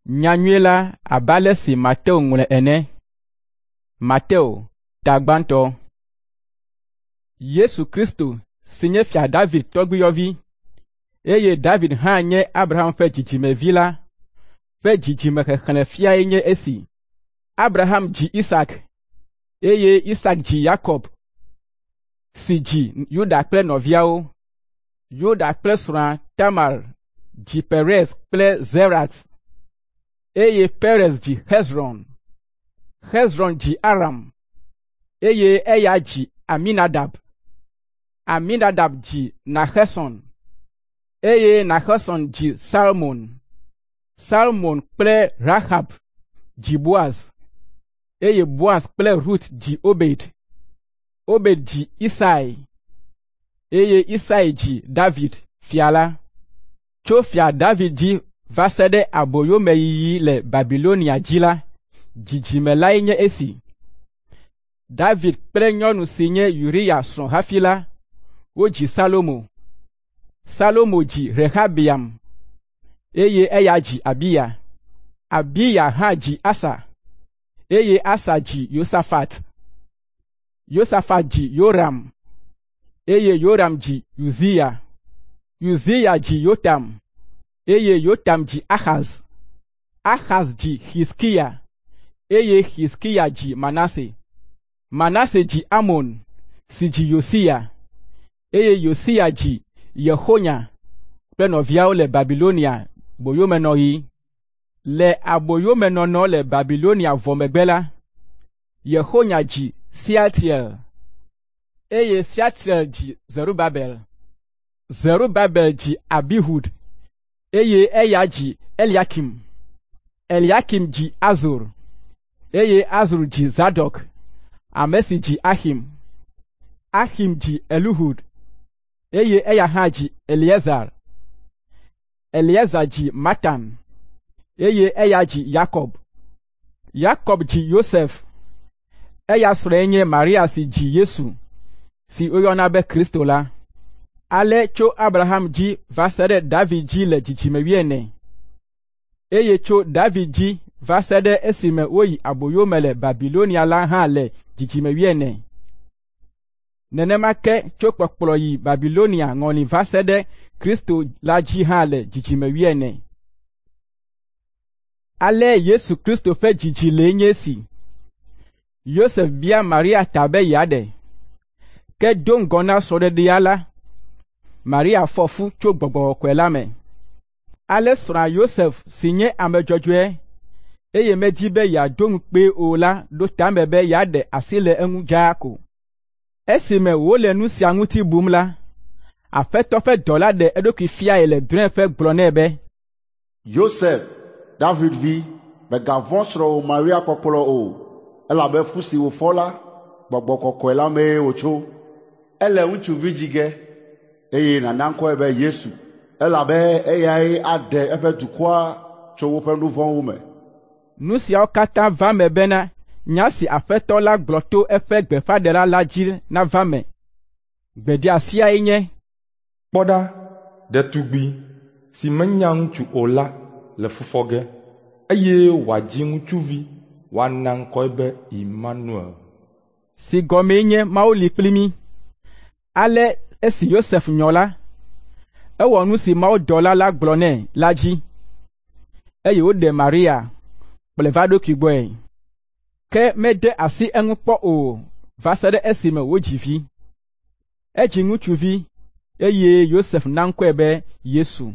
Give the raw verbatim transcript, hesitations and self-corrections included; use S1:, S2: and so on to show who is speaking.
S1: Nyanyui la abe ale si Mateo ŋlɔe ene. Mateo, ta gbãtɔ. Yesu Kristo si nye Fia David tɔgbuiyɔvi, eye David hã nye Abraham ƒe dzidzimevi la ƒe dzidzimexexlẽfiae nye esi. Abraham dzi Isak, eye Isak dzi Yakob, si dzi Yuda kple nɔviawo. Yuda kple srɔ̃a Tamar dzi Perez kple Zerax, eye Perez dzi Hezron. Hezron dzi Aram, eye eya dzi Aminadab. Aminadab dzi Naxeson, eye Naxeson dzi Salmon. Salmon kple Rahab dzi Boaz, eye Boaz kple Rut dzi Obed. Obed dzi Isai, eye Isai dzi David, fia la. Tso fia David dzi va se ɖe aboyomeyiyi le Babilonia dzi la, dzidzime lae nye esi. David kple nyɔnu si nye Uria srɔ̃ hafi la, wodzi Salomo. Salomo dzi Rehabeam, eye eya dzi Abiya. Abiya hã dzi Asa, eye Asa dzi Yosafat. Yosafat dzi Yoram, eye Yoram dzi Uzia. Uzia dzi Yotam, eye Yotam dzi Ahaz. Ahaz dzi Hizkiya, eye Hizkiya dzi Manase. Manase dzi Amon, si dzi Yosia, eye Yosia dzi Yehonya kple nɔviawo le Babilonia boyomenɔɣi. Le aboyomenɔnɔ le Babilonia vɔ megbe la, Yehonya dzi Sealtiel, eye Sealtiel dzi Zerubabel. Zerubabel dzi Abihud, eye eya dzi Eliakim. Eliakim dzi Azor, eye Azor dzi Zadok, ame si dzi Axim. Axim dzi Elihud, eye eya hã dzi Eleazar. Eleazar dzi Matan, eye eya dzi Yakob. Yakob dzi Yosef, eya srɔ̃e nye Maria si dzi Yesu, si woyɔna be Kristo la. Ale tso Abraham dzi va se ɖe David dzi le dzidzime wuiene, eye tso David dzi va se ɖe esime woyi aboyome le Babilonia la hã le dzidzime wuiene. Nenema ke tso kpɔkplɔ yi Babilonia ŋɔli va se ɖe Kristo la dzi hã le dzidzime wuiene. Ale Yesu Kristo ƒe dzidzi lee nye esi. Yosef bia Maria ta be yeaɖe. Ke do ŋgɔ na srɔ̃ɖeɖea la, Maria fɔ fu tso Gbɔgbɔ Kɔkɔe la me. Ale srɔ̃a Yosef si nye ame dzɔdzɔe, eye medi be yeado ŋukpee o la ɖo tame be yeaɖe asi le eŋu dzaa ko. Esime wòle nu sia ŋuti bum la, Aƒetɔ ƒe dɔla ɖe eɖokui fiae le drɔ̃eƒe gblɔ nɛ be,
S2: Yosef, David vi, mègavɔ̃ srɔ̃wò Maria kpɔkplɔ o, elabe fu si wòfɔ la, Gbɔgbɔ Kɔkɔe la mee wòtso. Ele ŋutsuvi dzi ge, eye nàna ŋkɔe be Yesu, elabe eyae aɖe eƒe dukɔa tso woƒe nu vɔ̃wo me.
S1: Nu siawo katã va eme bena nya si Aƒetɔ la gblɔ to eƒe gbeƒãɖela la dzi nava eme. Gbedeasiae nye,
S3: Kpɔ ɖa, ɖetugbi si menya ŋutsu o la le fu fɔ ge, eye wòadzi ŋutsuvi, woana ŋkɔe be Imanuel.
S1: Si gɔmee nye Mawu li kpli mí. Ale esi Yosef nyɔ la, ewɔ nu si mawudɔla la gblɔ nɛ la dzi, eye wòɖe Maria, kplɔe va eɖokui gbɔe. Ke mede asi eŋu kpɔ o va se ɖe esime wòdzi vi. Edzi ŋutsuvi, eye Yosef na ŋkɔe be Yesu.